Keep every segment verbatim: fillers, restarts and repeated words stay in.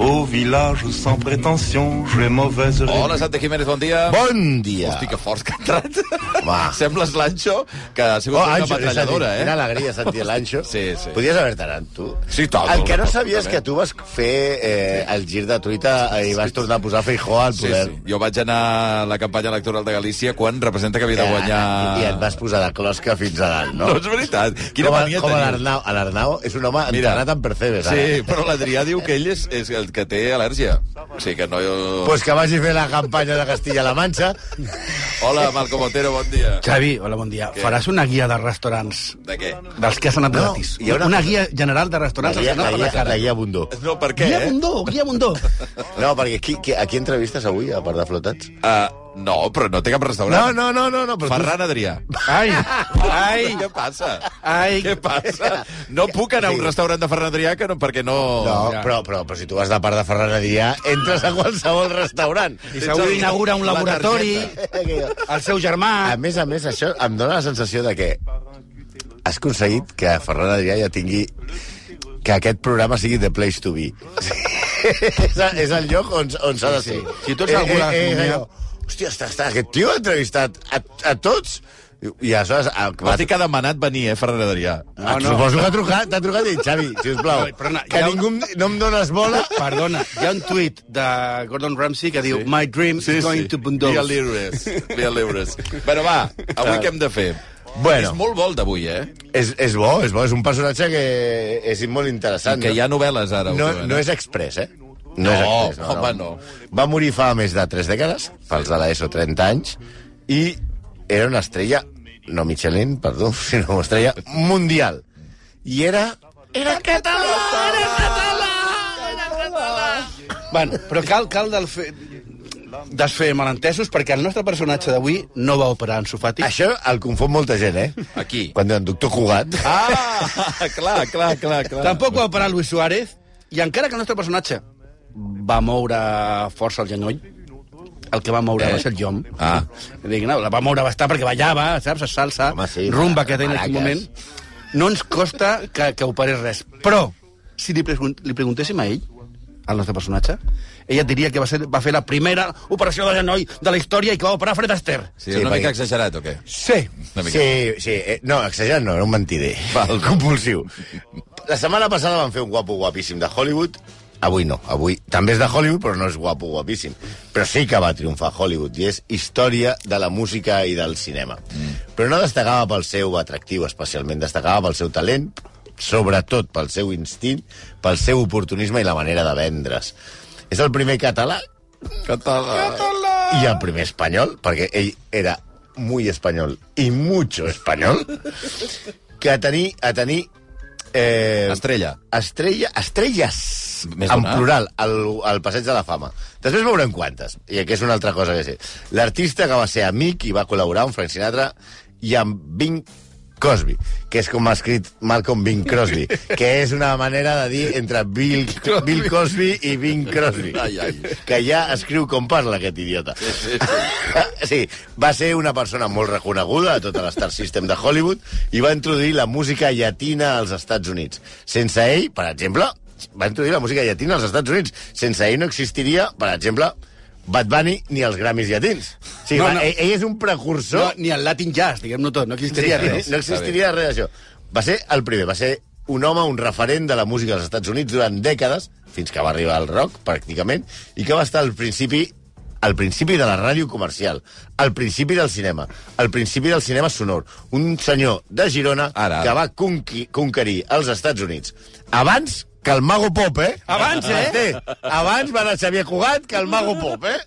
Au village sans prétention, j'ai mauvaise réputation. Hola, Santi Jiménez, bon dia. Bon dia. Hosti, que forts que ha entrat. Va. Sembles l'Anxo, que ha sigut Oh, una Anxo, metralladora, és a dir, eh? Quina alegria sentir l'Anxo. Sí, sí. Podies haver-te anat, tu. Sí, tot. El que no sabies que tu vas fer eh, el gir de truita i vas tornar a posar Feijóo al Sí, poder. sí. Jo vaig anar a la campanya electoral de Galícia quan representa que havia de guanyar... I et vas posar de closca fins a dalt, no? No, és veritat. Quina com a, mania com a teniu. l'Arnau. L'Arnau és un home Mira, entrenat en percebes, ara. Sí, però l'Adrià diu que ell és, és el que té al·lèrgia. O sigui que no... Pues que vagi a fer la campanya de Castilla-La Manxa. Hola, Malcom Otero, bon dia. Xavi, hola, bon dia. Què? Faràs una guia de restaurants De què? dels que has anat No, gratis. hi ha una- Una guia general de La restaurants als guia, que has la anat per guia, la cara. la guia Bundó. No, per què, Guia eh? Bundó, guia Bundó. No, perquè qui, qui, a qui entrevistes avui, a part de flotats? Uh, no, però no té cap No, restaurant. no, no, no. no però Ferran Adrià. Ai, ai, Què passa? ai. Què passa? No puc anar a un Sí. restaurant de Ferran Adrià que no, perquè no... Tu... No, Ja. però, però, però si tu vas de part de Ferran Adrià, entres a qualsevol restaurant. I segur inaugura un La laboratori, A el seu germà... més a més, això em dóna la sensació de que has aconseguit que Ferran Adrià ja tingui que aquest programa sigui the place to be. és, a, és el lloc on, on s'ha de ser. Sí. Si tu ets algú de gastronomia- allò, hòstia, està, està, aquest tio ha entrevistat a, a tots. I, i aleshores... A, Va dir que ha demanat venir, eh, Ferran Adrià. Ah, suposo que ha trucat, t'ha trucat i dit, Xavi, sisplau, No, perdona, que hi ha ningú em- no em dones bola. Perdona, hi ha un tuit de Gordon Ramsay que diu Sí. My dream is going to Bundos. Via Libres. Via Libres. Bueno, va, avui què hem de fer? Bueno. És molt vol d'avui, eh? És, és bo, és bo, és un personatge que és molt interessant. Que hi ha novel·les ara. No, últimament, no eh? és express, eh? No, és express, home, no. Va morir fa més de tres dècades, pels de l'ESO, trenta anys, i era una estrella, no Michelin, perdó, sinó una estrella mundial. I era... Era català! Era català! Era català! Bueno, però cal, cal del fe... desfer malentesos perquè el nostre personatge d'avui no va operar en Sofati. Això el confon molta gent, eh? Aquí. Quan diuen doctor Cugat. Ah, clar, clar, clar, clar. Tampoc va operar Luis Suárez, i encara que el nostre personatge va moure força el genoll, el que va moure Eh? va ser el llom. Ah. Dic, no, la va moure bastant perquè ballava, saps, salsa, Home, sí, rumba que té en aquell maracas. moment. No ens costa que, que operés res. Però, si li, pregun li preguntéssim a ell, al nostre personatge, ella et diria que va, ser, va fer la primera operació de genoll de la història i que va operar Fred Astaire. Sí, Sí, una perquè- mica exagerat, o què? Sí. Una mica. Sí, sí. Eh, no, exagerat no, era un mentider. Val. Compulsiu. La setmana passada van fer un guapo guapíssim de Hollywood. Avui no, avui també és de Hollywood, però no és guapo guapíssim. Però sí que va triomfar Hollywood, i és història de la música i del cinema. Mm. Però no destacava pel seu atractiu, especialment. Destacava pel seu talent, sobretot pel seu instint, pel seu oportunisme i la manera de vendre's. És el primer català Català. i el primer espanyol, perquè ell era muy espanyol i mucho espanyol, que a tenir, a tenir eh, Estrella. estrella, estrelles, Més en d'una? plural, al, al Passeig de la Fama. Després veurem quantes, i que és una altra cosa que sé. L'artista que va ser amic i va col·laborar amb Frank Sinatra i amb Bing Crosby, que és com ha escrit Malcolm Bing Crosby, que és una manera de dir entre Bill, Bill Cosby i Bing Crosby. Ai, ai. Que ja escriu com parla, aquest idiota. Sí, sí, sí. Sí, va ser una persona molt reconeguda a tota l'Star System de Hollywood i va introduir la música llatina als Estats Units. Sense ell, per exemple, va introduir la música llatina als Estats Units. Sense ell no existiria, per exemple, Bad Bunny ni els Grammys llatins. O sigui, No, va, no. Ell, ell és un precursor... No, ni el Latin Jazz, diguem-no tot, no existiria Sí, res. no existiria res d'això. Va ser el primer, va ser un home, un referent de la música als Estats Units durant dècades, fins que va arribar al rock, pràcticament, i que va estar al principi al principi de la ràdio comercial, al principi del cinema, al principi del cinema sonor. Un senyor de Girona Ara. que va conqui, conquerir els Estats Units. Abans que el Mago Pop, eh? Abans, eh? Té. Abans va anar Xavier Cugat que el Mago Pop, eh?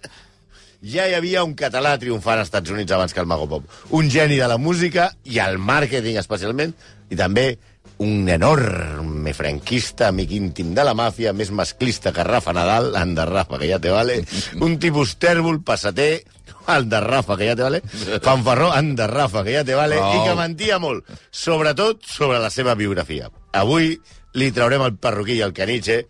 Ja hi havia un català triomfant als Estats Units abans que el Mago Pop. Un geni de la música i el màrqueting, especialment, i també un enorme franquista, amic íntim de la màfia, més masclista que Rafa Nadal, anda Rafa, que ja te vale, un tipus tèrbol, passater, anda Rafa, que ja te vale, fanfarró, anda Rafa, que ja te vale, Oh. i que mentia molt, sobretot sobre la seva biografia. Avui li traurem el perruquí i el caniche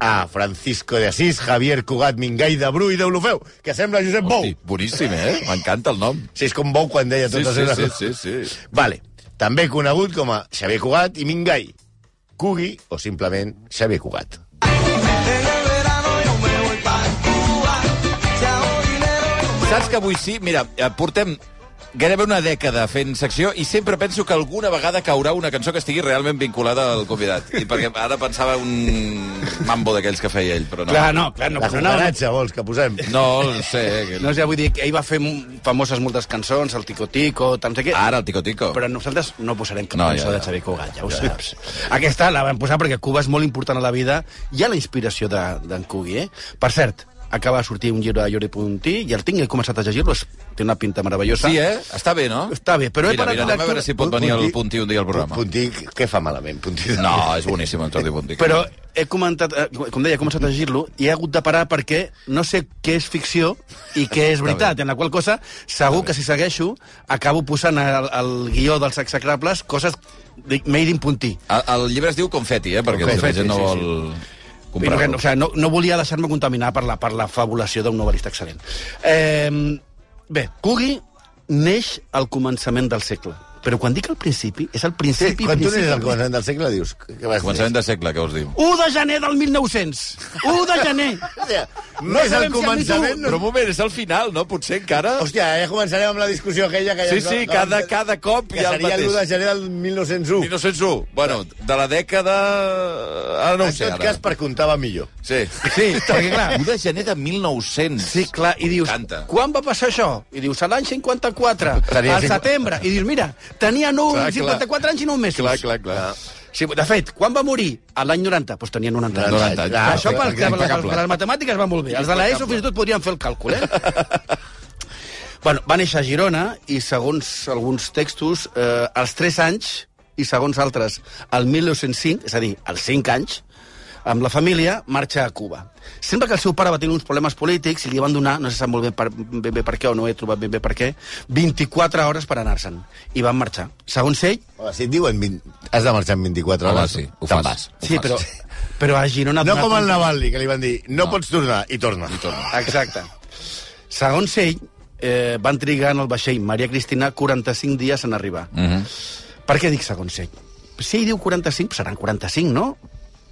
a Francisco de Asís, Javier Cugat Mingai de Bru i d'Olofeu, que sembla Josep Bou. Hosti, boníssim, eh? M'encanta el nom. Sí, és com Bou quan deia Sí, totes sí, les sí, coses. sí, sí. Vale. També conegut com a Xavier Cugat i Mingai. Cugui o simplement Xavier Cugat. Ella verá Saps que avui sí? Mira, portem gairebé una dècada fent secció i sempre penso que alguna vegada caurà una cançó que estigui realment vinculada al convidat. I perquè ara pensava un mambo d'aquells que feia ell, però no. Clar, no, clar, no. La Però no, cucaratxa, vols que posem? No, no sé. Que... no, ja vull dir que ell va fer famoses moltes cançons, el Tico Tico, tant sé què. Ara el Tico Tico. Però nosaltres no posarem cap No, cançó ja, ja. de Xavier Cugat, ja ho saps. Aquesta la vam posar perquè Cuba és molt important a la vida i a la inspiració d'en de, Cugui, eh? Per cert, acaba de sortir un llibre de Jordi Puntí i el tinc, he començat a llegir-lo, té una pinta meravellosa. Sí, eh? Està bé, no? Està bé, però... Mira, he mira, anem a veure si pot venir el Puntí un dia al programa. Puntí, què fa malament? Puntí... No, és boníssim el Jordi Puntí. Però he comentat, eh, com deia, he començat a llegir-lo i he hagut de parar perquè no sé què és ficció i què és veritat, en la qual cosa segur que si segueixo acabo posant al, al guió dels execrables coses de made in Puntí. El, el llibre es diu Confetti, eh? Perquè Confetti, la gent no sí, vol... sí. No, o sigui, no, no volia deixar-me contaminar per la, per la fabulació d'un novel·lista excel·lent. Eh, bé, Cugui neix al començament del segle. Però quan dic al principi, és al principi... Sí, quan tu principi, neixes al començament del segle, dius... Què vas Començament de segle, què us diu? u de gener del mil nou-cents. u de gener. Hòstia, No no és sabem el si han dit començament... Però un moment, és el final, no? Potser encara... Hòstia, ja començarem amb la discussió aquella que ja... Sí, sí, cada, cada cop que hi ha el seria l'u de mateix. gener del mil nou-cents u. mil nou-cents u. Bueno, de la dècada... Ara no ho En sé, tot ara. cas, per comptar va millor. Sí. Sí, perquè clar... u de gener de mil nou-cents. Sí, clar, i dius, Canta. quan va passar això? I dius, a l'any cinquanta-quatre, Tenia al cinc- setembre. I dius, mira, tenia nou, Clar, clar. cinquanta-quatre anys i nou mesos. Clar, clar, clar. Sí, de fet, quan va morir? A l'any noranta, doncs tenia noranta anys. noranta anys. Ah, Això per, per, per, impecable. les matemàtiques van molt bé. Els de l'ESO fins i tot podrien fer el càlcul, eh? Bueno, va néixer a Girona i, segons alguns textos, eh, als tres anys i, segons altres, al mil nou-cents cinc, és a dir, als cinc anys, amb la família, marxa a Cuba. Sembla que el seu pare va tenir uns problemes polítics i li van donar, no se sap molt bé per, ben bé per què o no he trobat ben bé per què, vint-i-quatre hores per anar-se'n. I van marxar. Segons ell... Home, si et diuen vint... has de marxar en vint-i-quatre Home, hores, sí, ho te'n fas. vas. Sí, però, però a Girona... No com el Navalny, que li van dir, no, No. pots tornar, i torna. I torna. Exacte. Segons ell, eh, van trigar en el vaixell Maria Cristina quaranta-cinc dies en arribar. Mhm. Per què dic segons ell? Si ell diu quaranta-cinc, seran quaranta-cinc, no?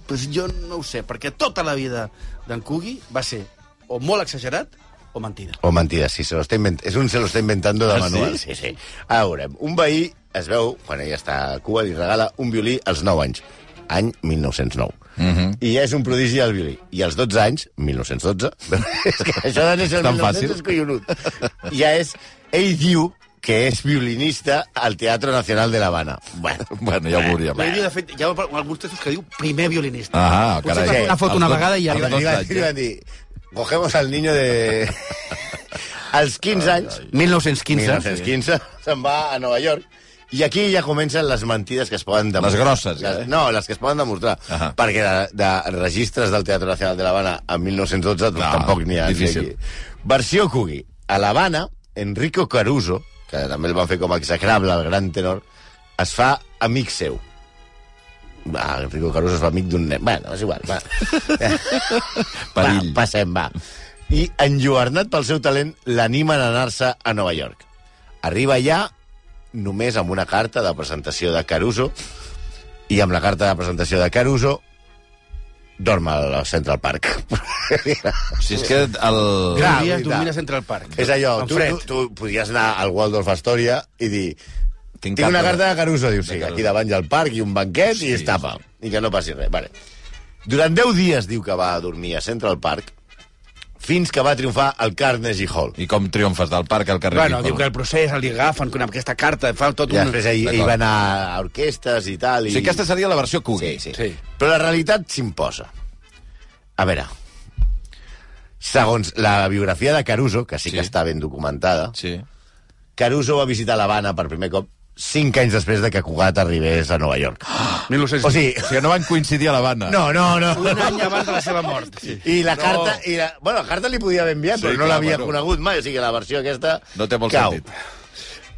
Pues jo no ho sé, perquè tota la vida d'en Cugui va ser o molt exagerat o mentida. O mentida, sí, se lo está invent... és un se lo está inventando de Ah, manual. sí? Sí, sí. Ara veurem. Un veí es veu, quan ella està a Cuba, li regala un violí als nou anys, any mil nou-cents nou. Mhm. I ja és un prodigi al violí. I als dotze anys, mil nou-cents dotze, és que això de néixer al Tan mil nou-cents fàcil. és collonut. Ja és... Ell diu que és violinista al Teatro Nacional de La Habana. Bueno, Bueno, ja ho veuríem. Ell diu, de fet, hi ha alguns textos que diu primer violinista. Ah, Potser carai. fa una foto Els una dos- vegada i ja... els li dos van, anys, li van dir, cogemos al niño de... Als quinze anys, mil nou-cents quinze. mil nou-cents quinze, se'n va a Nova York. I aquí ja comencen les mentides que es poden demostrar. Les grosses, ja, Les- eh? No, les que es poden demostrar. Ahà. Perquè de, de registres del Teatre Nacional de l'Havana en mil nou-cents dotze No, tampoc n'hi ha. ni difícil. aquí. Versió Cugui. A l'Havana, Enrico Caruso, que també el van fer com a execrable, el gran tenor, es fa amic seu. Va, Enrico Caruso es fa amic d'un nen. Bueno, és igual, va. Perill. Va, passem, va. I, enlluernat pel seu talent, l'animen a anar-se a Nova York. Arriba allà només amb una carta de presentació de Caruso i amb la carta de presentació de Caruso dorm al Central Park. Si és que el... Clar, Dormies, veritat. dormies entre el parc. És allò, En tu, fred. tu, tu podries anar al Waldorf Astoria i dir Tinc, tinc una carta de Caruso. Diu, sí, Caruso. aquí davant hi ha el parc i un banquet Sí, i es tapa. I que no passi res. Vale. Durant deu dies diu que va dormir a Central Park fins que va triomfar al Carnegie Hall. I com triomfes del parc al carrer Bueno, Ripoll? diu que el procés li agafen amb aquesta carta, fa tot I un... després ell, ell D'acord. va anar a orquestes i tal. O I... sigui, aquesta seria la versió Cugui. Sí, sí, Sí. Però la realitat s'imposa. A veure, segons la biografia de Caruso, que sí, Sí. que està ben documentada, Sí. Caruso va visitar l'Havana per primer cop cinc anys després de que Cugat arribés a Nova York. mil nou-cents O sigui, O sigui, no van coincidir a l'Havana. no, no, no. Un any abans de la seva mort. Sí. I la No. carta... I la, bueno, la carta li podia haver enviat, Sí, però no clar, l'havia bueno. conegut mai. O sigui, la versió aquesta... No té molt cau. sentit.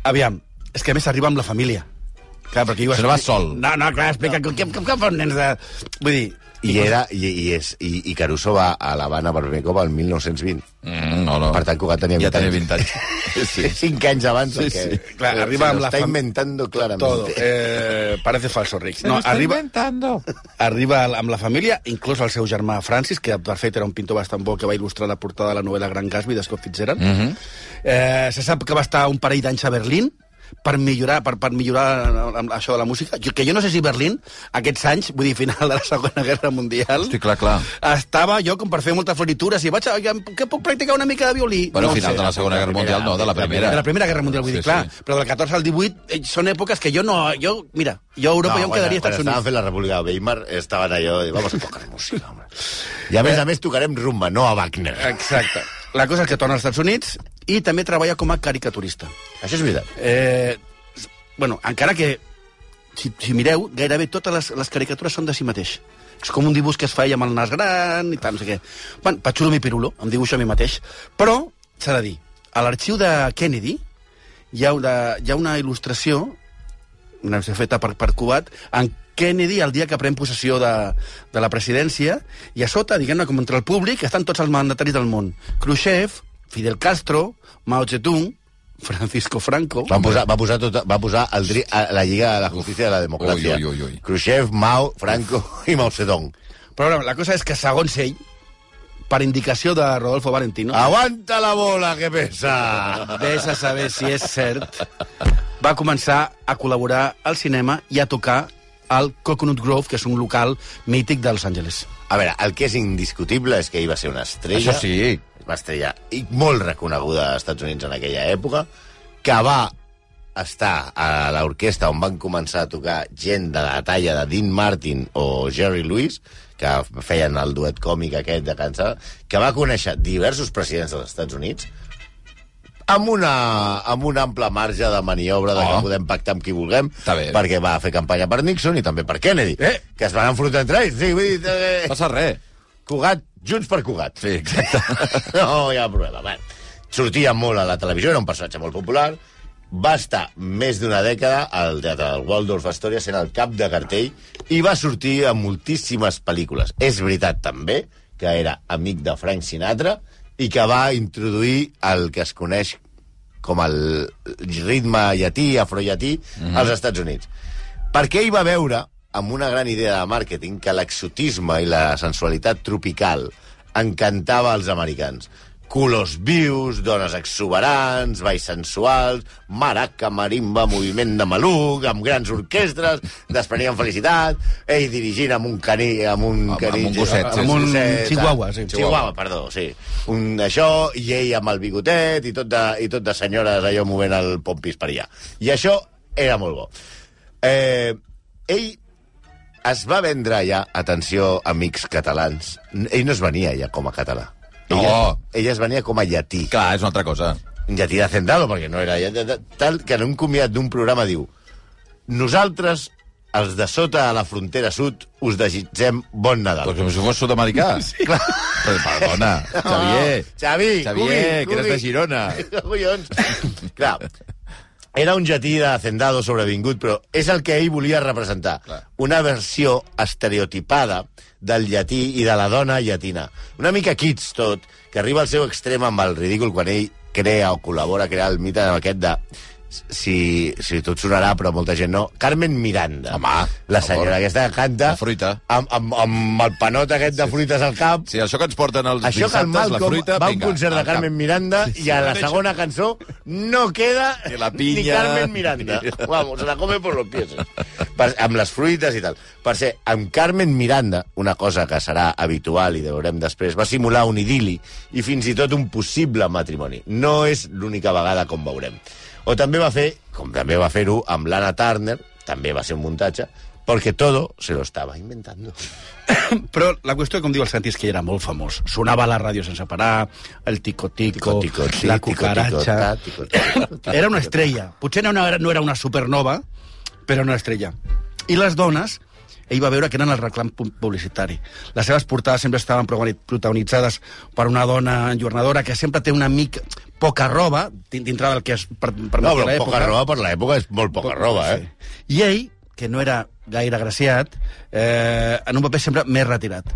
Aviam, és que a més arriba amb la família. Clar, perquè Se no va sol. No, no, clar, explica, què, què, què fan nens de... Vull dir, I, era, i, i, és, i, i Caruso va a l'Havana per primer cop al mil nou-cents vint. Mm, no, no. Per tant, Cugat tenia vint ja tenia anys. vint anys. Sí. Cinc anys abans. Sí, que, sí. Clar, arriba amb la Està fam- inventando clarament. Todo. Eh, parece falso, Rick. No, arriba, inventando. arriba amb la família, inclús el seu germà Francis, que de fet era un pintor bastant bo que va il·lustrar la portada de la novel·la Gran Gatsby de Scott Fitzgerald. Mm -hmm. eh, se sap que va estar un parell d'anys a Berlín per millorar, per, per millorar això de la música. Jo, que jo no sé si Berlín, aquests anys, vull dir, final de la Segona Guerra Mundial, Hosti, clar, clar. estava jo com per fer moltes floritures i vaig a, que puc practicar una mica de violí. Bueno, al no final sé. de la Segona Guerra Mundial, no, de la Primera. De la Primera Guerra Mundial, vull Sí, dir, clar. sí. Però del catorze al divuit eh, són èpoques que jo no... Jo, mira, jo a Europa No, jo em quan, quedaria quan als Estats estaven Units. fent la República de Weimar, estaven allò, i vamos a tocar música, home. I a més a més tocarem rumba, no a Wagner. Exacte. La cosa és que torna als Estats Units i també treballa com a caricaturista. Això és veritat. Eh, bueno, encara que, si, si mireu, gairebé totes les, les caricatures són de si mateix. És com un dibuix que es feia amb el nas gran i tal, no sé què. Bueno, Pachulo mi pirulo, em dibuixo a mi mateix. Però, s'ha de dir, a l'arxiu de Kennedy hi ha una, hi ha una il·lustració, una feta per, per Cugat, en Kennedy el dia que pren possessió de, de la presidència, i a sota, diguem-ne, com entre el públic, estan tots els mandataris del món. Khrushchev, Fidel Castro, Mao Zedong, Francisco Franco... Va posar, va posar, tot, va posar el, dri- a la Lliga de la Justícia de la Democràcia. Ui, ui, ui, ui. Khrushchev, Mao, Franco i Mao Zedong. Però bueno, la cosa és que, segons ell, per indicació de Rodolfo Valentino, Aguanta la bola, que pesa! vés a saber si és cert, va començar a col·laborar al cinema i a tocar al Coconut Grove, que és un local mític de Los Angeles. A veure, el que és indiscutible és que ell va ser una estrella. Això sí. Una estrella i molt reconeguda als Estats Units en aquella època, que va estar a l'orquestra on van començar a tocar gent de la talla de Dean Martin o Jerry Lewis, que feien el duet còmic aquest de cançó, que va conèixer diversos presidents dels Estats Units amb, una, amb un ample marge de maniobra de Oh. que podem pactar amb qui vulguem, Està bé. perquè va fer campanya per Nixon i també per Kennedy, Eh. que es van enfrontar entre ells. Sí, vull dir, eh, Passa res. Cugat, Junts per Cugat. Sí, exacte. No hi ha problema. Bueno, sortia molt a la televisió, era un personatge molt popular, va estar més d'una dècada al teatre del Waldorf Astoria sent el cap de cartell i va sortir a moltíssimes pel·lícules. És veritat, també, que era amic de Frank Sinatra i que va introduir el que es coneix com el ritme llatí, afrollatí, mm-hmm. als Estats Units. Perquè ell va veure, amb una gran idea de màrqueting, que l'exotisme i la sensualitat tropical encantava als americans. Colors vius, dones exuberants, balls sensuals, maraca, marimba, moviment de maluc, amb grans orquestres, desprenien felicitat, ell dirigint amb un caní, amb un Amb- caní, amb un gosset, sí, amb un gosset, chihuahua, sí. Chihuahua, perdó, sí. Un això, i ell amb el bigotet, i tot de, i tot de senyores allò movent el pompis per allà. I això era molt bo. Eh, ell es va vendre allà, atenció, amics catalans, ell no es venia allà com a català. No. Ella, ella es venia com a llatí. Clar, és una altra cosa. Un llatí de Zendalo, perquè no era llatí. Tal que en un comiat d'un programa diu: nosaltres, els de sota a la frontera sud, us desitgem bon Nadal. Doncs com si fos sud-americà. Sí. Clar. Però, perdona, Xavier. Xavi, Xavier, Cubi, que eres Cubi. de Girona. Collons. Clar, era un llatí de Hacendado sobrevingut, però és el que ell volia representar. Clar. Una versió estereotipada del llatí i de la dona llatina. Una mica kits, tot, que arriba al seu extrem amb el ridícul quan ell crea o col·labora a crear el mite aquest de... Si, si tot sonarà, però molta gent no. Carmen Miranda. Home, la per senyora favor. aquesta que canta... La fruita. Amb, amb, amb el panot aquest de fruites al cap. Sí, això que ens porten els Això que el dissabtes, la Malcolm fruita, va a un vinga, concert de al Carmen cap. Miranda i a la segona cançó no queda Ni la ni pinya. Carmen Miranda. Vamos, se la come por los pies. Per, amb les fruites i tal. Per ser, amb Carmen Miranda, una cosa que serà habitual i veurem després, va simular un idili i fins i tot un possible matrimoni. No és l'única vegada com veurem. O també va fer, com també va fer-ho amb l'Anna Turner, també va ser un muntatge, perquè todo se lo estaba inventando. Però la qüestió, com diu el Santi, és que era molt famós. Sonava a la ràdio sense parar, el tico-tico, Tico, tico, sí, la tico, tico, cucaratxa... ta, tico, tico, tico, Era una tico, estrella. Potser no era, no era una supernova, però una estrella. I les dones, ell va veure que eren el reclam pu- publicitari. Les seves portades sempre estaven progoni- protagonitzades per una dona enjornadora que sempre té una mica poca roba, din- dintre del que es per, per No, però l'època. poca roba per l'època és molt poca roba, eh? Sí. I ell, que no era gaire agraciat, eh, en un paper sempre més retirat.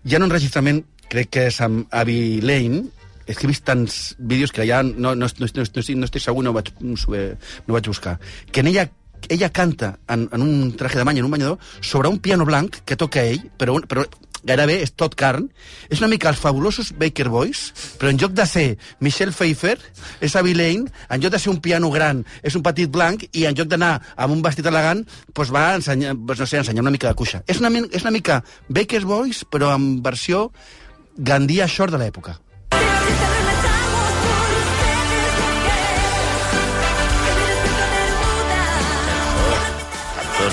Hi ha un enregistrament, crec que és amb Abby Lane, és que he vist tants vídeos que ja no, no, no, no, no, no estic segur, no vaig, no, no vaig buscar, que en ella, ella canta en, en un traje de bany, en un banyador, sobre un piano blanc que toca ell, però, un, però gairebé és tot carn. És una mica els fabulosos Baker Boys, però en lloc de ser Michelle Pfeiffer, és Abby Lane, en lloc de ser un piano gran, és un petit blanc, i en lloc d'anar amb un vestit elegant, doncs va ensenyar, doncs no sé, ensenyar una mica de cuixa. És una, és una mica Baker Boys, però en versió Gandia Shore de l'època.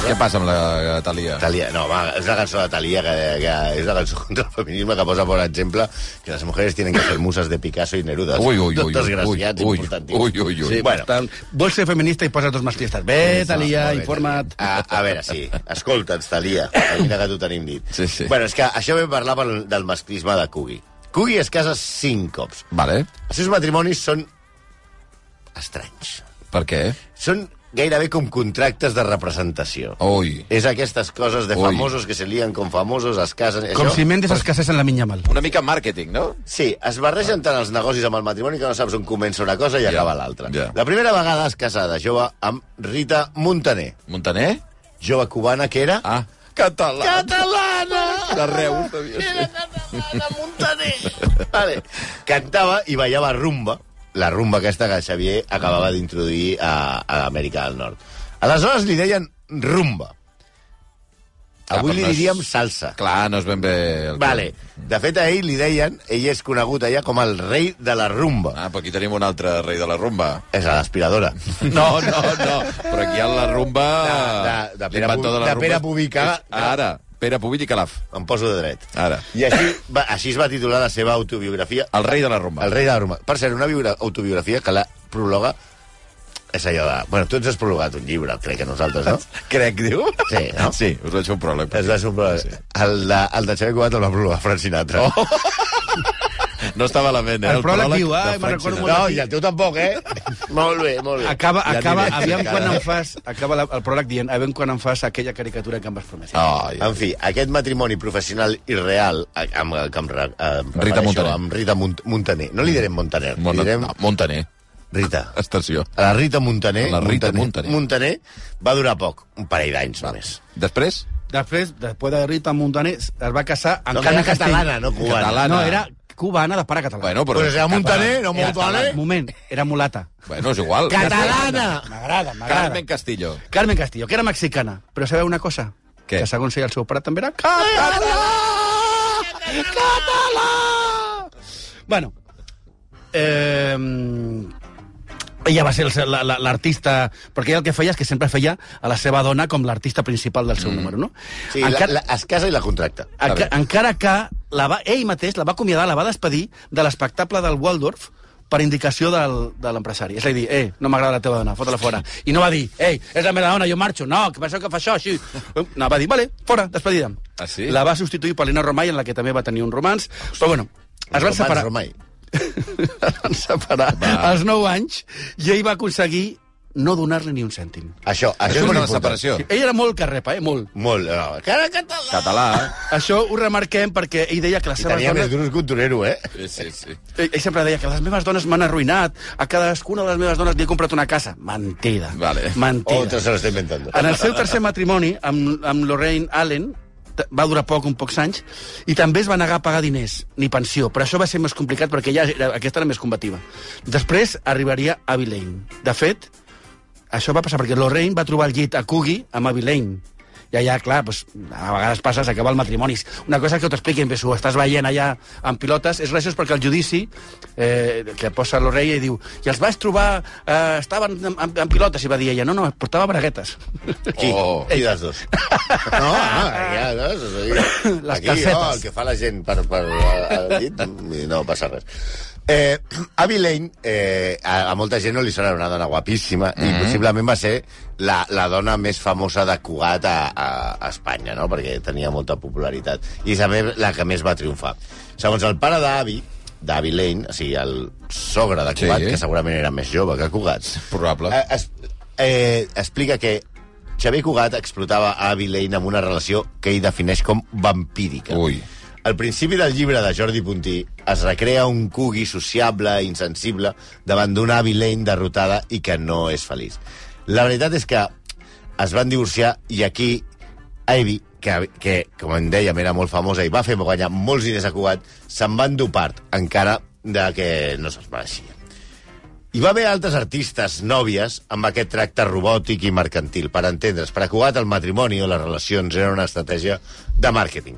Què passa amb la Thalia? Thalia, no, va, és la cançó de Thalia, que, que és la cançó contra el feminisme, que posa, per exemple, que les mujeres tienen que ser musas de Picasso i Neruda. Ui, ui, ui, desgraciats, ui, importantíssims. ui, ui, ui. Sí, bueno. tant, vols ser feminista i posa dos masclistes. Bé, Thalia, informa't. A, a veure, sí, escolta'ns, Thalia, mira que t'ho tenim dit. Sí, sí. Bueno, és que això vam parlar pel, del masclisme de Coogie. Coogie es casa cinc cops. Vale. Els seus matrimonis són estranys. Per què? Són gairebé com contractes de representació. Ui. És aquestes coses de Ui. famosos que se lien com famosos, es casen... Com Això... si Mendes es casés en la Minya Mal. Una mica màrqueting, no? Sí, es barregen tant els negocis amb el matrimoni que no saps on comença una cosa i Ja, acaba l'altra. ja. La primera vegada es casa de jove amb Rita Montaner, Montaner? jove cubana que era... Ah, català. Catalana! De Reus, devia Era ser. catalana, Montaner! Vale. Cantava i ballava rumba, la rumba aquesta que Xavier acabava d'introduir a, a Amèrica del Nord. Aleshores li deien rumba. Avui però li no és- diríem salsa. Clar, no és ben bé... El... Vale. De fet, a ell li deien, ell és conegut allà com el rei de la rumba. Ah, però aquí tenim un altre rei de la rumba. És a l'aspiradora. No, no, no. Però aquí hi ha la rumba... De- de- de Pere l'inventor Pu- la de rumba Pere és- Pubica. és Ara, Pere Pubic i Calaf. Em poso de dret. Ara. I així, va, així es va titular la seva autobiografia. El rei de la rumba. El rei de la rumba. Per cert, una biogra- autobiografia que la prologa és allò de... Bueno, tu ens has prologat un llibre, crec que nosaltres, no? Crec, diu? Sí, no? Sí, us vaig fer un pròleg. Es va ser un pròleg. Sí. El de, el de Xavier Cugat el va prologar Frank Sinatra. Oh. No estava a la ment, eh? El pròleg diu, de ai, me'n Frank recordo Sinatra. No, i el teu tampoc, eh? Molt bé, molt bé. Acaba, Ja acaba, aniré. aviam quan Encara. em fas... Acaba la, el pròleg dient, aviam quan em fas aquella caricatura que em vas prometre. Ai, En fi, aquest matrimoni professional i real, amb, amb, amb, amb Rita Montaner. Amb Rita Mont Montaner. No li direm Montaner, Mon... li direm no, Montaner. Rita. Estació. La Rita Montaner, La Rita Montaner, Montaner. Montaner va durar poc, un parell d'anys només. Després? Després, després de Rita Montaner, es va casar amb No, que Carme era Castell. catalana, no cubana. Catalana. No, era cubana de pare català. Bueno, però... Pues era Montaner, no Era- Montaner. Moment, era mulata. Bueno, és igual. Catalana! M'agrada, m'agrada. Carmen Castillo. Carmen Castillo, que era mexicana. Però sabeu una cosa? Què? Que segons ella el seu pare també era català! Català! Bueno, eh, ella va ser el- la- la- l'artista... Perquè ella el que feia és que sempre feia a la seva dona com l'artista principal del seu mm. número, no? Sí, la, la, es casa i la contracta. Enca, encara que la va, ell mateix la va acomiadar, la va despedir de l'espectacle del Waldorf per indicació del, de l'empresari. És a dir, eh, no m'agrada la teva dona, fota-la fora. I no va dir, ei, és la meva dona, jo marxo. No, que penseu que fa això, així. No, va dir, vale, fora, despedida. Ah, sí? La va substituir per Lina Romay, en la que també va tenir un romans. Però bueno, es van separar. Romay. Es van separar als nou anys i ell va aconseguir no donar-li ni un cèntim. Això, això, Això és és molt una important. separació. Ell era molt carrepa, eh, molt. Molt. No. Cara català! Català. Això ho remarquem perquè ell deia que les I seves tenia dones... més duros que un torero, eh? Sí, sí, sí. Ell, ell sempre deia que les meves dones m'han arruïnat, a cadascuna de les meves dones li he comprat una casa. Mentida. Vale. Mentida. Otra se lo está inventando. En el seu tercer matrimoni, amb, amb Lorraine Allen, t- va durar poc, un pocs anys, i també es va negar a pagar diners, ni pensió, però això va ser més complicat perquè ja era, aquesta era més combativa. Després arribaria Abby Lane. De fet, això va passar perquè Lorraine va trobar el llit a Coogie amb Abby Lane. I allà, clar, doncs, a vegades passa, s'acaba el matrimoni. Una cosa que t'ho expliquin, si ho estàs veient allà amb pilotes, és graciós perquè el judici eh, que posa l'Orella i diu i els vaig trobar, eh, estaven en, en, en pilotes, i va dir ella, no, no, portava braguetes. Qui? Oh. Qui dels dos? No, ah, ja, no, és a dir, Les aquí, calcetes. no, el que fa la gent per, per al llit, no passa res. Eh, Abby Lane, eh, a, a molta gent no li sona una dona guapíssima, mm -hmm. i possiblement va ser la, la dona més famosa de Cugat a, a, a Espanya, no? Perquè tenia molta popularitat. I és també la que més va triomfar. Segons el pare d'Abby, d'Abby Lane, o sigui, el sogre de Cugat, Sí. que segurament era més jove que Cugat, Probable. eh, es, eh, explica que Xavier Cugat explotava a Abby Lane amb una relació que ell defineix com vampírica. Ui. Al principi del llibre de Jordi Puntí es recrea un Cugui sociable, insensible, davant d'una Abby Lane derrotada i que no és feliç. La veritat és que es van divorciar i aquí Abby, que, que com en dèiem era molt famosa i va fer guanyar molts diners a Cugat, se'n va endur part, encara de que no se'ls mereixia. Hi va haver altres artistes nòvies amb aquest tracte robòtic i mercantil. Per entendre's, per a Cugat el matrimoni o les relacions eren una estratègia de màrqueting.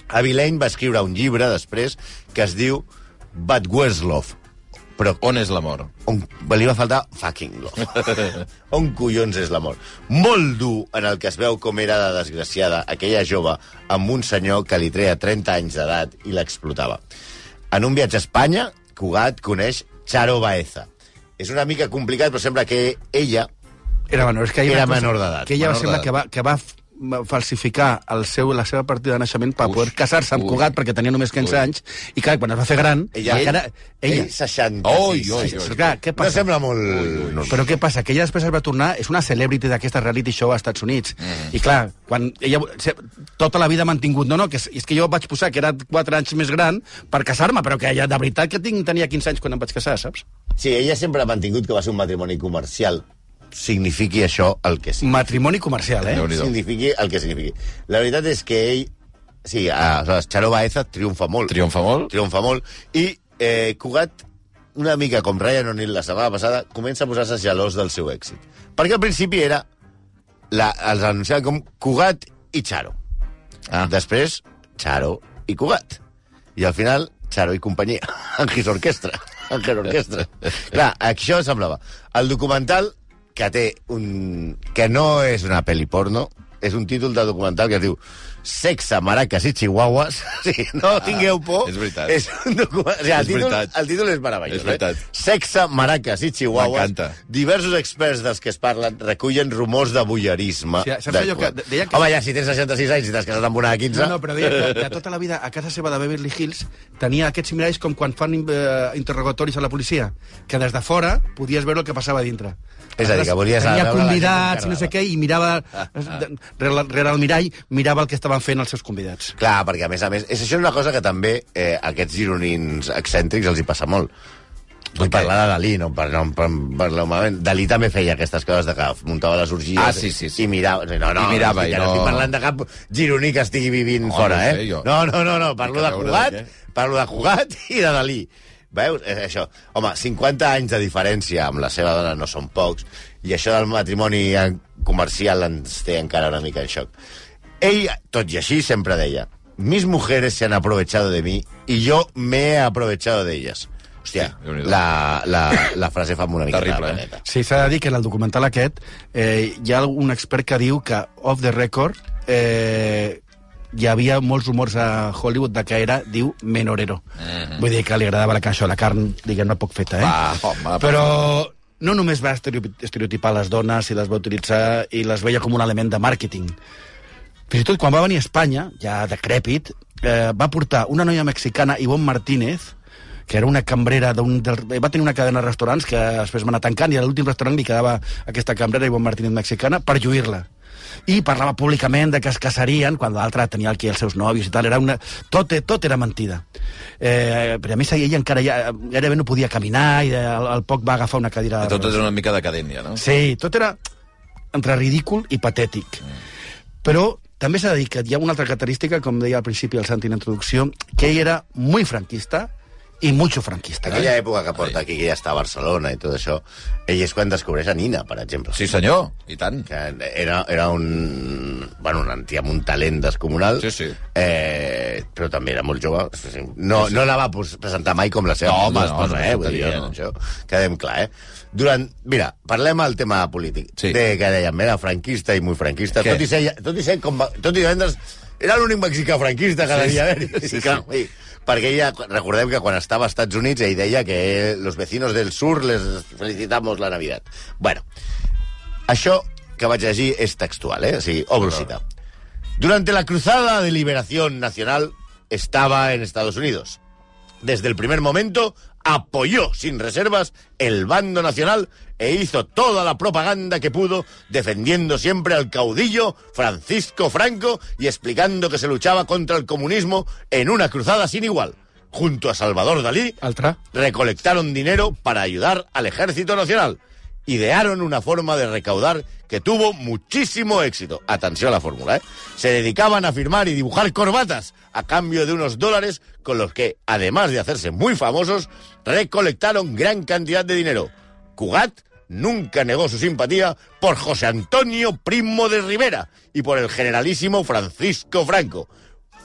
Abby Lane va escriure un llibre després que es diu But Where's Love? Però on és l'amor? On, li va faltar fucking love. On collons és l'amor? Molt dur en el que es veu com era de desgraciada aquella jove amb un senyor que li treia trenta anys d'edat i l'explotava. En un viatge a Espanya, Cugat coneix Charo Baeza. És una mica complicat, però sembla que ella era menor, és que era menor d'edat. Que ella va menor sembla que va, que va falsificar el seu, la seva partida de naixement per poder casar-se amb Cugat perquè tenia només quinze ui. anys i clar, quan es va fer gran ella, encara, ella, ell seixanta-sis oi, oi, oi. Clar, què passa? No sembla molt... Ui, ui. No. Però què passa? Que ella després es va tornar és una celebrity d'aquesta reality show als Estats Units mm. i clar, quan ella tota la vida ha mantingut, no, no, que és, és que jo vaig posar que era quatre anys més gran per casar-me, però que ella de veritat que tinc, tenia quinze anys quan em vaig casar, saps? Sí, ella sempre ha mantingut que va ser un matrimoni comercial, signifiqui això el que sigui. Matrimoni comercial, eh? Signifiqui el que signifiqui. La veritat és que ell... Sí, aleshores, Charo Baeza triomfa molt. Triomfa molt? Triomfa molt. I eh, Cugat, una mica com Ryan O'Neill la setmana passada, comença a posar-se gelós del seu èxit. Perquè al principi era... La, els anunciaven com Cugat i Charo. Ah. Després, Charo i Cugat. I al final, Charo i companyia. Angis Orquestra. Angel Orquestra. Clar, això semblava. El documental que té un... que no és una pel·li porno, és un títol de documental que es diu Sexe, maracas i chihuahuas. Sí, no ah, tingueu por. És veritat. És un documental... O sigui, el, és títol, veritat. el títol és meravellós. És veritat. Eh? Sexe, maracas i chihuahuas. M'encanta. Diversos experts dels que es parlen recullen rumors de voyeurisme. Sí, saps allò que... Deia que... Home, ja, si tens seixanta-sis anys i t'has casat amb una de quinze... No, no, però deia que de tota la vida a casa seva de Beverly Hills tenia aquests miralls com quan fan eh, interrogatoris a la policia, que des de fora podies veure el que passava a dintre. És a dir, que volies tenia convidats i no sé què, i mirava rere, rere el mirall, mirava el que estaven fent els seus convidats. Clar, perquè a més a més, és això una cosa que també eh, a aquests gironins excèntrics els hi passa molt. Vull parlar de Dalí, no per, no, per, per moment. Dalí també feia aquestes coses de que muntava les orgies ah, sí, sí, sí. i mirava... No, no, I mirava, no, estic, i no... no estic parlant de cap gironí que estigui vivint no, fora, no eh? sé, jo. No, no, no, no, parlo de Cugat, de parlo de Cugat i de Dalí. Veus? És això. Home, cinquanta anys de diferència amb la seva dona no són pocs, i això del matrimoni comercial ens té encara una mica en xoc. Ell, tot i així, sempre deia: mis mujeres se han aprovechado de mí y yo me he aprovechado de ellas. Hòstia, sí, la, la, la frase fa una mica terrible, de eh? Sí, s'ha de dir que en el documental aquest eh, hi ha un expert que diu que, off the record, eh, hi havia molts rumors a Hollywood de que era, diu, menorero. Mm-hmm. Vull dir que li agradava la cançó, la carn, diguem-ne, poc feta, eh? Va, home, però no només va estereotipar les dones i les va utilitzar i les veia com un element de màrqueting. Fins i tot quan va venir a Espanya, ja decrèpit, eh, va portar una noia mexicana, Ivonne Martínez, que era una cambrera d'un... Del, va tenir una cadena de restaurants que després va anar tancant i a l'últim restaurant li quedava aquesta cambrera, Ivonne Martínez mexicana, per lluir-la. I parlava públicament de que es casarien quan l'altre tenia aquí els seus nòvios i tal. Era una... tot, tot era mentida. Eh, però a més ella encara ja, gairebé no podia caminar i al, al poc va agafar una cadira... I tot era una mica decadència, no? Sí, tot era entre ridícul i patètic. Mm. Però també s'ha de dir que hi ha una altra característica, com deia al principi el Santi en introducció, que ell era muy franquista i mucho franquista. Aquella eh? època que porta aquí, que ja està a Barcelona i tot això, ell és quan descobreix a Nina, per exemple. Sí, senyor, i tant. Que era, era un... Bueno, un antia amb un talent descomunal, sí, sí. Eh, però també era molt jove. No, no la va presentar mai com la seva no, home, esposa, no, no, eh? Vull dir, no, això, quedem clar, eh? Durant... Mira, parlem al tema polític. Sí. De, que dèiem, era franquista i muy franquista. Què? Tot i ser, tot i ser com... Tot i vendre's... Era l'únic mexicà franquista que devia haver. Sí, sí, clar, sí. Perquè ella, recordem que quan estava als Estats Units ell deia que los vecinos del sur les felicitamos la Navidad. Bueno, això que vaig llegir és textual, eh? O sigui, obro cita. Durante la cruzada de liberación nacional estaba en Estados Unidos. desde el primer momento, apoyó sin reservas el bando nacional e hizo toda la propaganda que pudo, defendiendo siempre al caudillo Francisco Franco y explicando que se luchaba contra el comunismo en una cruzada sin igual. Junto a Salvador Dalí, Altra. recolectaron dinero para ayudar al Ejército Nacional. Idearon una forma de recaudar que tuvo muchísimo éxito. Atenció a la fórmula, ¿eh? Se dedicaban a firmar y dibujar corbatas a cambio de unos dólares con los que, además de hacerse muy famosos, recolectaron gran cantidad de dinero. Cugat nunca negó su simpatía por José Antonio Primo de Rivera y por el generalísimo Francisco Franco.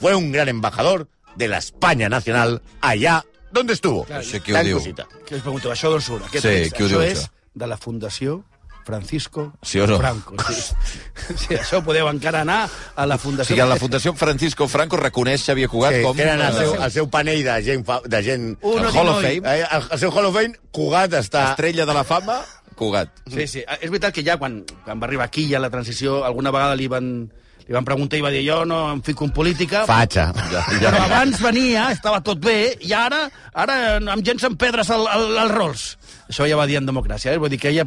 Fue un gran embajador de la España nacional allà donde estuvo. Clar, això qui ho Gran diu? cosita. Que us pregunto, això d'on surt? Aquest Sí, és, qui ho diu, això això? és de la Fundació Francisco Sí o no? Franco. Sí. Sí, això podeu encara anar a la O Fundació... sigui, la Fundació Francisco Franco reconeix Xavier Cugat Sí, com... tenen el seu, eh, el seu panell de gent... Fa, de gent Uno el Hall of di noi. Fame. eh, el, el seu Hall of Fame, Cugat està... Estrella de la fama, Cugat. Sí, sí. És veritat que ja quan, quan va arribar aquí, ja la transició, alguna vegada li van, li van preguntar i va dir jo no em fico en política... Fatxa. Ja, Però abans venia, estava tot bé, i ara, ara amb gent se'n pedres al, al, al Rolls. Això ja va dir en democràcia, eh? Vull dir que a ella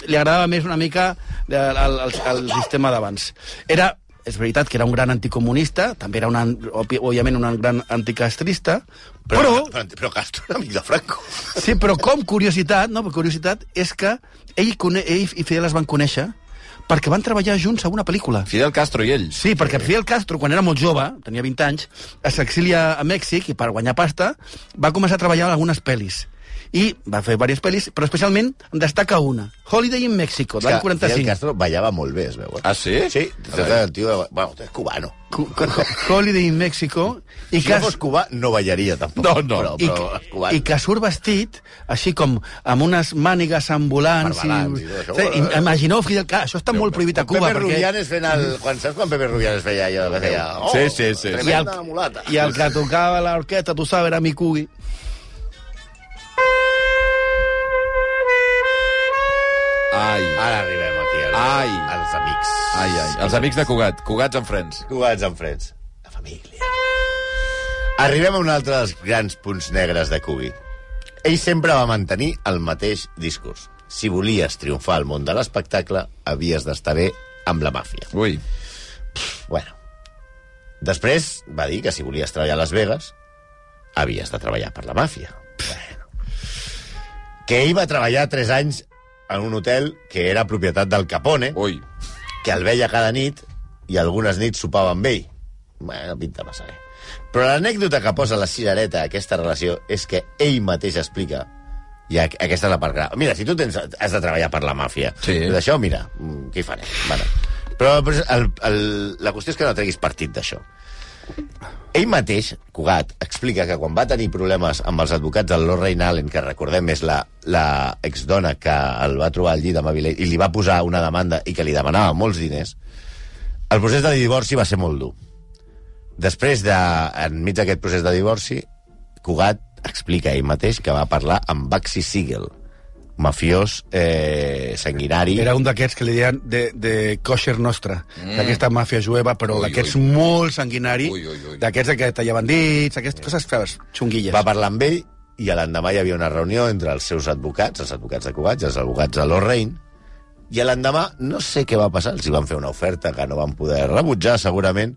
li agradava més una mica el, el, el, el sistema d'abans. Era, és veritat que era un gran anticomunista, també era, una, òbviament, un gran anticastrista, Però, però, però, però Castro era amic de Franco. sí, però com curiositat, no, curiositat és que ell, cone, ell i Fidel es van conèixer perquè van treballar junts a una pel·lícula. Fidel Castro i ell. Sí, perquè Fidel Castro, quan era molt jove, tenia vint anys, s'exilia a Mèxic i per guanyar pasta va començar a treballar en algunes pel·lis. I va fer diverses pel·lis, però especialment en destaca una, Holiday in Mexico, de l'any Fidel quaranta-cinc. Castro ballava molt bé, es veu. Eh? Ah, sí? Sí, el tio... Bueno, és cubano. Cu- cu- Holiday in Mexico, i Si que, no fos cubà, no ballaria, tampoc. No, no. Però, i, però és cubano. i que surt vestit així com amb unes mànigues ambulants. Barbalans I, i tot això. sí, i, imagineu, Fidel, clar, això està molt prohibit a Cuba. Pepe perquè... Rubianes fent el... Quan saps quan Pepe Rubianes feia allò que feia... Oh, Sí, sí, sí. I el, Tremenda mulata. I el que tocava l'orquestra, tu sabes, era mi Cubi. Ai, Ara arribem aquí als, Ai. als amics. ai, ai. Els amics de Cugat. Cugats en frens. Cubans en freds. La família. Arribem a un altre dels grans punts negres de Cubi. Ell sempre va mantenir el mateix discurs. Si volies triomfar al món de l'espectacle, havies d'estar bé amb la màfia. Ui. Bueno. Després va dir que si volies treballar a Las Vegas, havies de treballar per la màfia. Bueno. Que ell va treballar tres anys en un hotel que era propietat del Capone, Ui. que el veia cada nit i algunes nits sopava amb ell. Bueno, pinta massa bé. Però l'anècdota que posa la cirereta a aquesta relació és que ell mateix explica, i aqu- aquesta és la part grave. Mira, si tu tens, has de treballar per la màfia, Sí. d'això, mira, mm, què hi farem? Bueno. Però, però el, el, la qüestió és que no treguis partit d'això. Ell mateix, Cugat, explica que quan va tenir problemes amb els advocats del Lorraine Allen, que recordem és la, la exdona que el va trobar al llit amb Avilés, i li va posar una demanda i que li demanava molts diners, el procés de divorci va ser molt dur. Després, de, enmig d'aquest procés de divorci, Cugat explica ell mateix que va parlar amb Bugsy Siegel, mafiós eh, sanguinari. Era un d'aquests que li deien de, de kosher nostra, mm. d'aquesta màfia jueva, però Ui, d'aquests ui. molt sanguinari, Ui, ui, ui. d'aquests que tallaven dits, aquestes coses fees, xunguilles. Va parlar amb ell i a l'endemà hi havia una reunió entre els seus advocats, els advocats de Cugat i els advocats de Lorraine, i a l'endemà no sé què va passar, els hi van fer una oferta que no van poder rebutjar, segurament,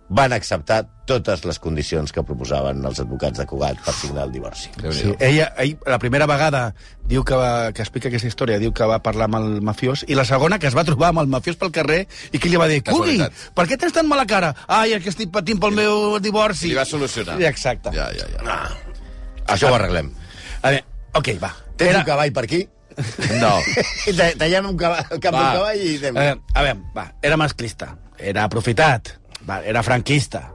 van acceptar totes les condicions que proposaven els advocats de Cugat per signar el divorci. Sí, ella, ell, la primera vegada diu que, va, que explica aquesta història, diu que va parlar amb el mafiós, i la segona que es va trobar amb el mafiós pel carrer i que li va dir, Cugui, Casualitat. per què tens tan mala cara? Ai, és que estic patint pel meu divorci. Li va solucionar. Sí, exacte. Ja, ja, ja. Ah, això ho arreglem. A veure, ok, va. Tens Era- un cavall per aquí? No. I ta- tallem un cavall, el cap Va. d'un cavall i... A veure, a veure, va, era masclista, era aprofitat, va, era franquista,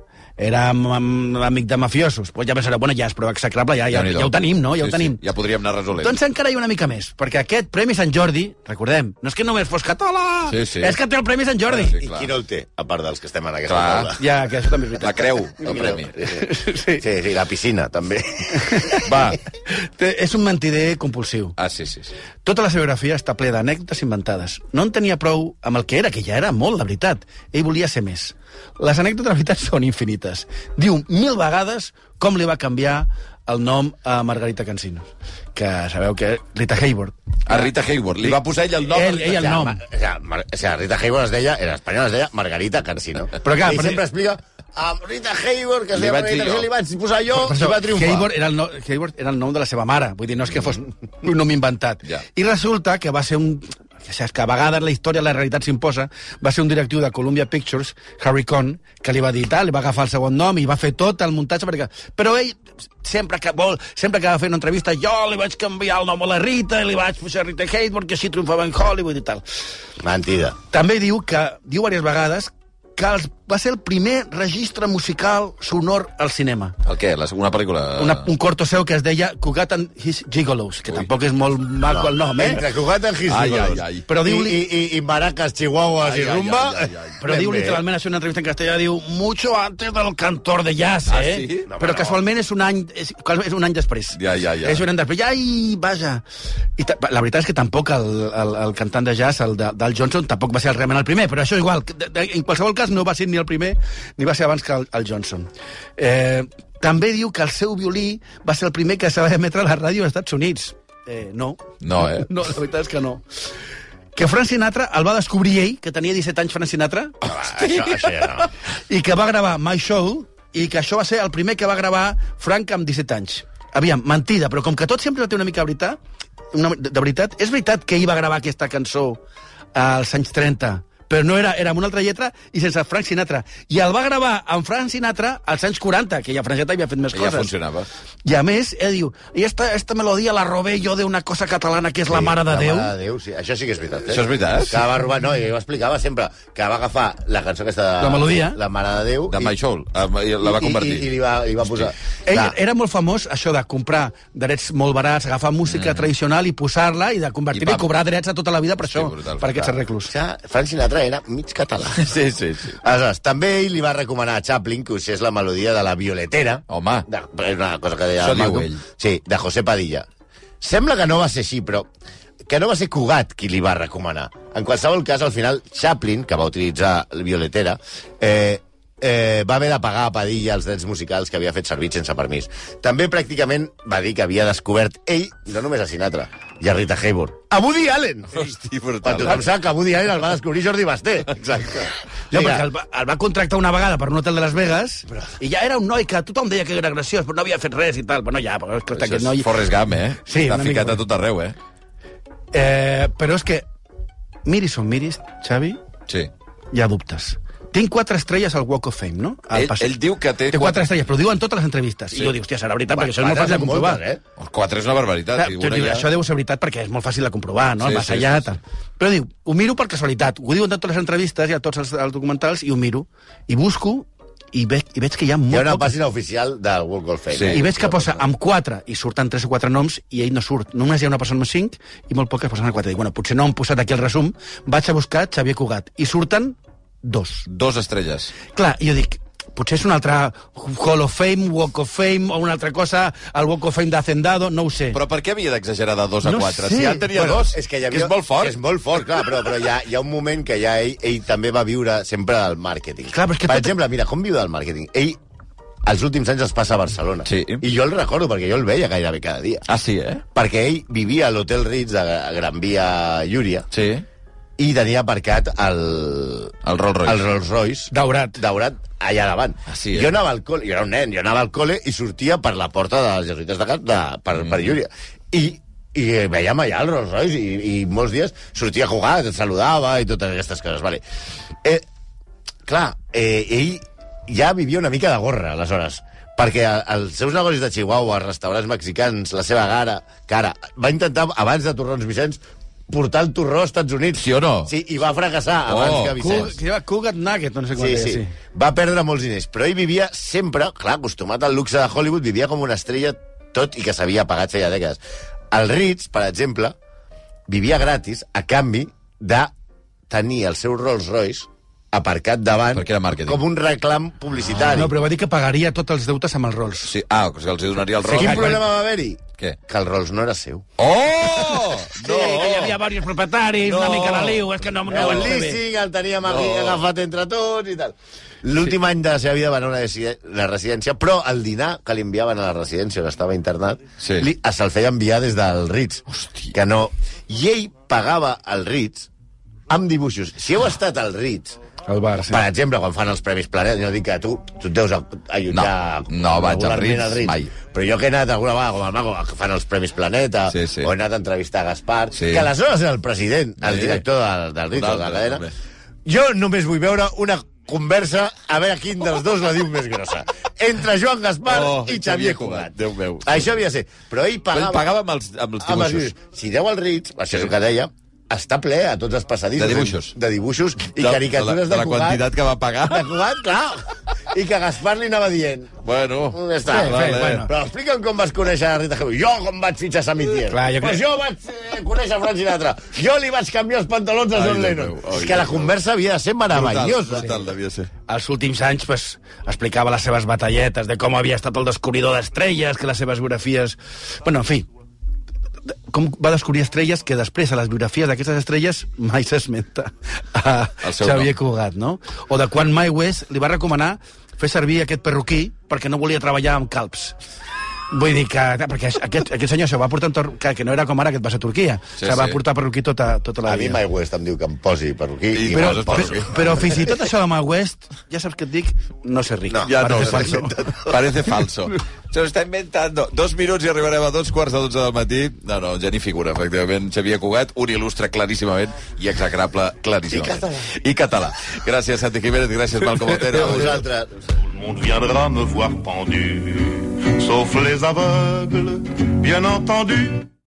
era am- am- amic de mafiosos. Pues ja pensareu, bueno, ja és prou execrable, ja, ja, Déu-n'hi-do. ja ho tenim, no? Ja Sí, ho tenim. Sí, ja podríem anar resolent. Doncs encara hi ha una mica més, perquè aquest Premi Sant Jordi, recordem, no és que només fos català, Sí, sí. és que té el Premi Sant Jordi. Sí, I clar. qui no el té, a part dels que estem en aquesta Clar. taula? Ja, que això també és veritat. La creu, el premi. Sí, sí, sí, la piscina, també. Va. Té- És un mentider compulsiu. Ah, sí, sí, sí. Tota la seva biografia està ple d'anècdotes inventades. No en tenia prou amb el que era, que ja era molt, la veritat. Ell volia ser més. Les anècdotes, la veritat, són infinites. Diu mil vegades com li va canviar el nom a Margarita Cansinos, que sabeu que Rita Hayworth. A Rita Hayworth. Li va posar ell el nom. Ell, ell el nom. O sigui, o sigui, Rita Hayworth es deia, en espanyol es deia Margarita Cansino. Però clar, I però- sempre explica, a Rita Hayworth, que es Li deia vaig dir Margarita jo. Cansino, li vaig posar jo, Per i això, va triomfar. Hayworth era, el no, Hayworth era el nom de la seva mare, vull dir, no és que fos un nom inventat. Ja. I resulta que va ser un... Que saps que a vegades la història, la realitat s'imposa, va ser un directiu de Columbia Pictures, Harry Cohn, que li va dir tal, li va agafar el segon nom i va fer tot el muntatge, perquè... Però ell, sempre que vol, sempre que va fer una entrevista, jo li vaig canviar el nom a la Rita, i li vaig posar Rita Hayworth, que així triomfava en Hollywood i tal. Mentida. També diu que, diu diverses vegades, que els, va ser el primer registre musical sonor al cinema. El què? La segona pel·lícula? Una, un corto seu que es deia Cugat and His Gigolos, que Ui. tampoc és molt maco el nom, eh? Entre Cugat en His Ai, Gigolos. ai, ai. Però I, diu-li- i, i, i maracas, chihuahuas Ai, i ai, rumba. ai, ai, ai. Però Ben diu bé. literalment, això en una entrevista en castellà, diu mucho antes del cantor de jazz, eh? Ah, sí? No, però no. casualment és un any, és, és un any després. Ja, ja, ja. És un any després. Ai, vaja. I ta, la veritat és que tampoc el, el, el cantant de jazz, el de, del Johnson, tampoc va ser realment el primer, però això igual, de, de, en qualsevol cas no va ser ni el primer, ni va ser abans que el, el Johnson. Eh, també diu que el seu violí va ser el primer que se va emetre a la ràdio als Estats Units. Eh, no. No, eh? No, la veritat és que no. Que Frank Sinatra el va descobrir ell, que tenia disset anys Frank Sinatra, Va, això, això ja no. i que va gravar My Show, i que això va ser el primer que va gravar Frank amb disset anys. Aviam, mentida, però com que tot sempre té una mica de veritat, una, de, de veritat, és veritat que ell va gravar aquesta cançó als anys trenta, però no era, era amb una altra lletra i sense Frank Sinatra. I el va gravar amb Frank Sinatra als anys quaranta, que ja Frank Sinatra havia fet més Ja coses. funcionava. I a més, ell diu, i esta, esta melodia la robé jo d'una cosa catalana que és la Mare de la Déu. Mare de Déu, sí. Això sí que és veritat. Eh? Això és veritat? Que va robar, no, i ho explicava sempre, que va agafar la cançó aquesta de... La melodia. La Mare de Déu. De My Show. Ah, i la va convertir. I, i, i li va, li va posar... Ell Clar, era molt famós, això de comprar drets molt barats, agafar música mm. tradicional i posar-la i de convertir-la I i, pam. cobrar drets a tota la vida per Sí, això, brutal, per aquests clar. arreglos. O sigui, Frank Sinatra era mig català. Sí, sí, sí. Aleshores, també ell li va recomanar a Chaplin que usés la melodia de la Violetera. Home. De, és una cosa que deia Això diu Malcolm. ell. Sí, de José Padilla. Sembla que no va ser així, però que no va ser Cugat qui li va recomanar. En qualsevol cas, al final, Chaplin, que va utilitzar la Violetera, eh, eh, va haver de pagar a Padilla els drets musicals que havia fet servir sense permís. També pràcticament va dir que havia descobert ell, no només a Sinatra, i a Rita Hayworth, a Woody Allen! Hosti, Quan brutal. tothom sap que Woody Allen el va descobrir Jordi Basté. Exacte. No, Vinga. perquè el va, el va contractar una vegada per un hotel de Las Vegas i ja era un noi que tothom deia que era graciós, però no havia fet res i tal. Bueno, ja, però escolta, Això aquest és noi... Forrest Gump, eh? Sí, Està una mica ficat a més. tot arreu, eh? Eh, però és que, miris on miris, Xavi, Sí. hi ha dubtes. Tinc quatre estrelles al Walk of Fame, no? Al Ell, passeig. ell diu que té... Té quatre estrelles, però ho diu en totes les entrevistes. Sí. I jo dic, hòstia, serà veritat, perquè això és Quatre molt fàcil de són comprovar. moltes, eh? Quatre és una barbaritat. Clar, i tu una dius, ja- això deu ser veritat perquè és molt fàcil de comprovar, no? Sí, El més sí, allà, sí, tal. Però diu, ho miro per casualitat. Ho diuen en totes les entrevistes i a tots els, els documentals, i ho miro. I busco, i veig, i veig que hi ha Hi molt ha una poc... pàgina oficial del Walk of Fame. Sí. eh? I veig que posa amb quatre, i surten tres o quatre noms, i ell no surt. Només hi ha una persona amb cinc, i molt poques posen a quatre. Dic, bueno, potser no han posat aquí el resum, vaig a buscar Xavier Cugat. I surten dos. Dos estrelles. Clar, i jo dic, potser és una altra Hall of Fame, Walk of Fame, o una altra cosa, el Walk of Fame d'Hacendado, no ho sé. Però per què havia d'exagerar de dos a No quatre? sé. Si ja en tenia Bueno, dos, és que, hi havia, que és molt fort. És molt fort, clar, però, però hi, ha, hi ha un moment que ja ell, ell també va viure sempre del màrqueting. Clar, però és que per tot- exemple, mira, com viu del màrqueting? Ell, els últims anys els passa a Barcelona. Sí. I jo el recordo, perquè jo el veia gairebé cada dia. Ah, sí, eh? Perquè ell vivia a l'Hotel Ritz de Gran Via Llúria Sí. i tenia aparcat el, El Rolls Royce. el Rolls Royce Daurat. daurat allà davant. Ah, sí, eh? Jo anava al col·le, jo era un nen, jo anava al col·le i sortia per la porta de les jesuïtes de Cap de, per, mm. per Llúria. I, i veiem allà el Rolls Royce i, i molts dies sortia a jugar, et saludava i totes aquestes coses. Vale. Eh, clar, eh, ell ja vivia una mica de gorra, aleshores, perquè els seus negocis de Chihuahua, restaurants mexicans, la seva cara, cara va intentar, abans de Torrons Vicenç, portar el torró als Estats Units. Sí o no? Sí, i va fracassar Oh, abans que Cug, Vicenç. que lleva Cugat Nugget, no sé com Sí, deia, sí, sí. va perdre molts diners, però ell vivia sempre, clar, acostumat al luxe de Hollywood, vivia com una estrella, tot i que s'havia pagat feia dècades. El Ritz, per exemple, vivia gratis a canvi de tenir el seu Rolls Royce aparcat davant Perquè era màrqueting. com un reclam publicitari. No, però va dir que pagaria tots els deutes amb els Rolls. Sí. Ah, que els donaria el Sí, Rolls. quin problema va haver-hi? Què? Que el Rolls no era seu. Oh! No, sí, que ja havia diversos propietaris, no. una mica de liu, és que no, no ho el vaig fer bé. leasing el teníem no. agafat entre tots i tal. L'últim sí. any de la seva vida va anar a una, una residència, però el dinar que li enviaven a la residència on estava internat sí. li, se'l feia enviar des del Ritz. Hòstia. Que no... I ell pagava el Ritz amb dibuixos. Si heu estat al Ritz, el bar, sí. per exemple, quan fan els Premis Planet, jo dic que tu, tu et deus allotjar... No, no vaig al Ritz, Ritz, mai. Però jo que he anat alguna vegada, com el Mago, que fan els Premis Planeta, sí, sí. o he anat a entrevistar a Gaspar, sí. que aleshores era el president, el sí. director del, del Ritz, de la cadena. També. Jo només vull veure una conversa a veure quin dels dos la diu més grossa. Entre Joan Gaspar oh, i Xavier Cugat. Déu meu. Això havia de ser. Però ell pagava... Ell pagava amb els, amb els dibuixos. Amb els, si deu al Ritz, això sí. és el que deia, està ple a tots els passadissos. De dibuixos. De dibuixos i de, caricatures de, la, de, de la Cugat. quantitat que va pagar. De Cugat, clar. I que Gaspar li anava dient... Bueno. Ja està. Sí, vale. bueno. Però explica'm com vas conèixer la Rita Hayworth. Jo com vaig fitxar Samitier. Clar, jo pues crec... jo vaig eh, conèixer Frank Sinatra. Jo li vaig canviar els pantalons a John Lennon. Ai, és que la conversa havia de ser meravellosa. Brutal, brutal, devia ser. Els últims anys pues, explicava les seves batalletes de com havia estat el descobridor d'estrelles, que les seves biografies... Bueno, en fi, com va descobrir estrelles que després a les biografies d'aquestes estrelles mai s'esmenta a Xavier Cugat, no? O de quan Mae West li va recomanar fer servir aquest perruquí perquè no volia treballar amb calbs. Vull dir que... Perquè aquest, aquest senyor això va portar un tor- que, que no era com ara, que et vas a Turquia. Sí, o sigui, va sí. portar perruquí tota, tota la a vida. A mi Mae West em diu que em posi perruquí. I I però, perruquí. però, però fins i tot això de Mae West, ja saps què et dic, no sé ric. No, ja Parece no, falso. Parece falso. Se lo está inventando. Dos minuts i arribarem a dos quarts de dotze del matí. No, no, ja ni figura, efectivament. Xavier Cugat, un il·lustre claríssimament i execrable claríssimament. I català. I català. Gràcies, Santi Jiménez, gràcies, Malcom Otero. A vosaltres. Tout le monde viendra me voir pendu, sauf les aveugles, bien entendu.